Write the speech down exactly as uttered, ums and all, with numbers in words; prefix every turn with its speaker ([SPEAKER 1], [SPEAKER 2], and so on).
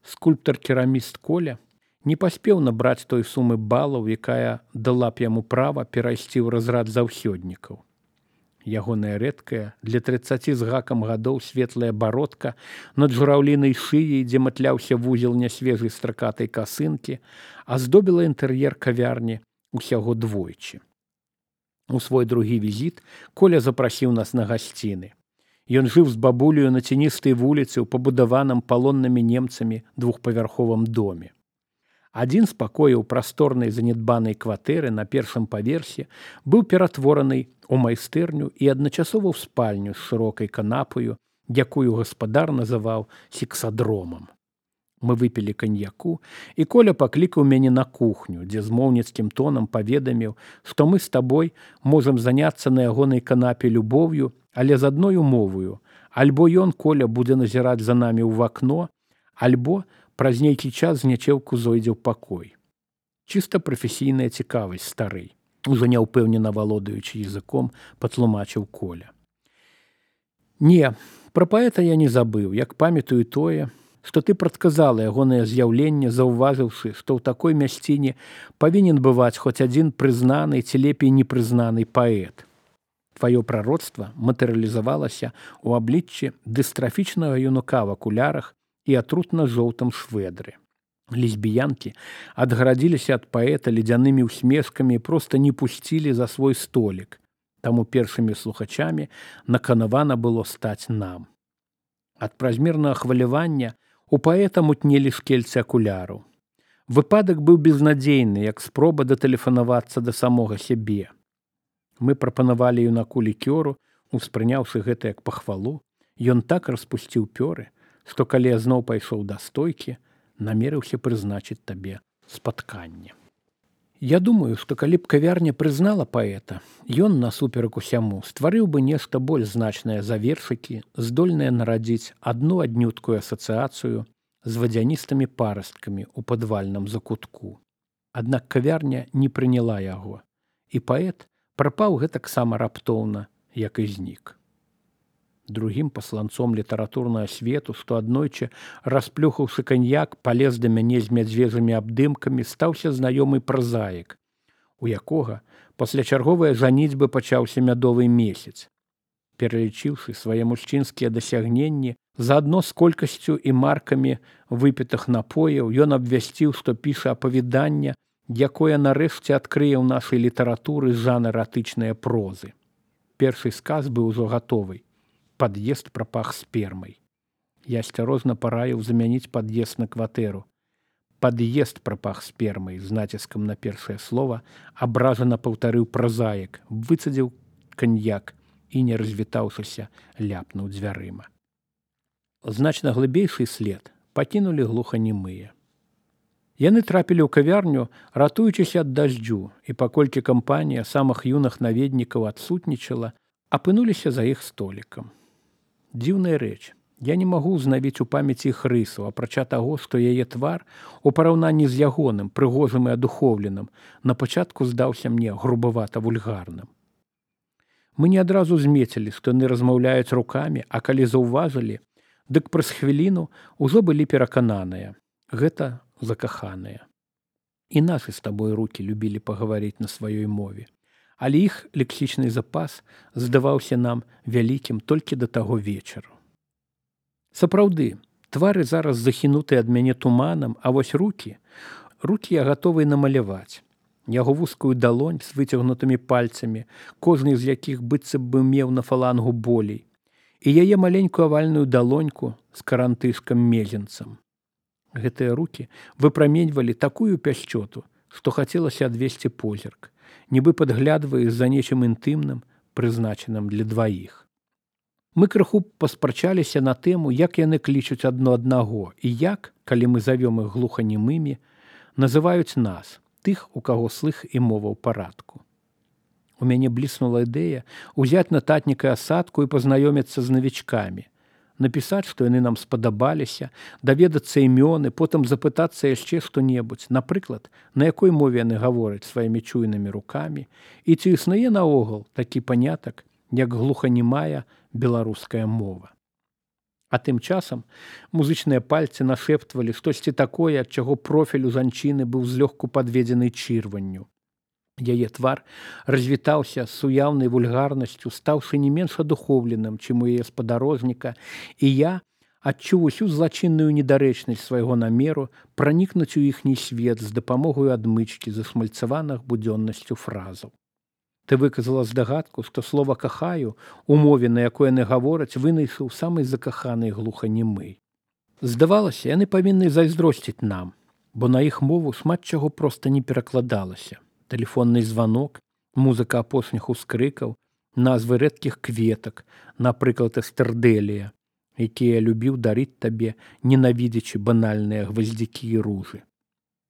[SPEAKER 1] Скульптар-кераміст Коля не паспеў набраць той сумы балаў, якая дала б яму права перайсці ў разрад заўсёднікаў. Ягоная рэдкая, для трыццаці з гакам гадоў светлая бародка над жураўлінай шыяй, дзе матляўся вузел нясвежай стракатай касынкі, аздобіла інтэр'ер кавярні усяго двойчы. У свой другі візіт Коля запрасіў нас на гасціны. Ён жыў з бабулею на цяністай вуліцы ў пабудаваным палоннымі немцамі двухпавярховым доме. Адзін з пакояў прасторнай занядбанай кватэры на першым паверсе быў ператвораны ў майстэрню і адначасова ў спальню з шырокай канапаю, якую гаспадар называў сексадромам. Мы выпілі каньяку, і Коля паклікаў мяне на кухню, дзе змоўніцкім тонам паведаміў, што мы з табой можам заняцца на ягонай канапе любоўю, але з адной умоваю. Альбо ён, Коля, будзе назіраць за намі ў вакно, альбо праз нейкі час з нячэўку зойдзе ў пакой. Чыста прафесійная цікавасць, стары, ужо няўпэўнена валодаючы языком, патлумачыў Коля. Не, пра паэта я не забыў, як памятаю тое, што ты прадказала ягонае з'яўленне, заўважыўшы, што ў такой мясціне павінен бываць хоць адзін прызнаны ці лепей непрызнаны паэт. Тваё прароцтва матэрыялізавалася ў абліччы дыстрафічнага юнака в акулярах і атрутна-жоўтым швэдры. Лесбіянкі адгарадзіліся ад паэта ледзянымі ўсмешкамі і проста не пусцілі за свой столік, таму першымі слухачамі наканавана было стаць нам. Ад празмернага хвалявання у паэта мутнелі шкельцы акуляраў. Выпадак быў безнадзейны, як спроба датэлефанавацца да самога сябе. Мы прапанавалі юнаку лікёру, успрыняўшы гэта як пахвалу. Ён так распусціў пёры, што калі я зноў пайшоў да стойкі, намерыўся прызначыць табе спатканне. Я думаю, што калі б кавярня прызнала паэта, ён, насуперак усяму, стварыў бы нешта больш значнае за вершыкі, здольнае нарадзіць адну аднюткую асацыяцыю з вадзяністымі парасткамі ў падвальным закутку. Аднак кавярня не прыняла яго, і паэт прапаў гэтаксама раптоўна, як і знік. Другім пасланцом літаратурнага свету, што аднойчы, расплюхаўшы каньяк, палез да мяне з мядзвежымі абдымкамі, стаўся знаёмы празаік, у якога пасля чарговай жаніцьбы пачаўся мядовы месяц. Пералічыўшы свае мужчынскія дасягненні, заадно з колькасцю і маркамі выпітых напояў, ён абвясціў, што піша апавяданне, якое нарэшце адкрые ў нашай літаратуры жанр эратычнай прозы. Першы сказ быў ужо гатовы. Пад'езд прапах спермай. Я асцярожна параіў замяніць пад'езд на кватэру. Пад'езд прапах спермай, з націскам на першае слова, абражана паўтарыў празаік, выцадзіў каньяк і, не развітаўшыся, ляпнуў дзвярыма. Значна глыбейшы след пакінулі глуханемыя. Яны трапілі ў кавярню, ратуючыся ад дажджу, і паколькі кампанія самых юных наведнікаў адсутнічала, апынуліся за іх столікам. Дзіўная рэч. Я не магу ўзнавіць у памяці іх рысу, апрача таго, што яе твар, у параўнанні з ягоным, прыгожым і адухоўленым, на пачатку здаўся мне грубавата-вульгарным. Мы не адразу змецілі, што яны размаўляюць рукамі, а калі заўважылі, дык праз хвіліну ўжо былі перакананыя. Гэта закаханыя. І нашы з табой рукі любілі пагаварыць на сваёй мове. Але іх лексічны запас здаваўся нам вялікім толькі да таго вечару. Сапраўды, твары зараз захінуты ад мяне туманам, а вось рукі, рукі я гатовы намаляваць. Яго вузкую далонь з выцягнутымі пальцамі, кожны з якіх быццам бы меў на фалангу болей, і яе маленькую авальную далоньку з карантышкам мезенцам. Гэтыя рукі выпраменьвалі такую пяшчоту, што хацелася адвесці позірк, нібы падглядвае за нечым інтымным, прызначаным для дваіх. Мы крыху паспрачаліся на тэму, як яны клічуць адно аднаго, і як, калі мы завём іх глуханемымі, называюць нас, тых, у каго слых і мова ў парадку. У мяне бліснула ідэя ўзяць нататніка асадку і пазнаёміцца з навічкамі, напісаць, што яны нам спадабаліся, даведацца імёны, потым запытацца яшчэ што-небудзь, напрыклад, на якой мове яны гавораць сваімі чуйнымі рукамі, і ці існуе наогул такі панятак, як глуханемая беларуская мова. А тым часам музычныя пальцы нашэптвалі штосьці такое, ад чаго профіль у жанчыны быў злёгку падведзены чырванню. Яе твар развітаўся з суяўнай вульгарнасцю, стаўшы не менш адухоўленым, чым у яе спадарожніка, і я адчуў усю злачынную недарэчнасць свайго намеру пранікнуць у іхні свет з дапамогаю адмычкі засмальцаваных будзённасцю фразаў. Ты выказала здагадку, што слова «кахаю» у мове, на якой яны гавораць, вынайшаў самай закаханай глуханемы. Здавалася, яны павінны зайздросціць нам, бо на іх мову шмат чаго проста не перакладалася. Тэлефонны званок, музыка апошніх ускрыкаў, назвы рэдкіх кветак, напрыклад, эстэрдэлія, якія любіў дарыць табе, ненавідзячы банальныя гваздзікі і ружы.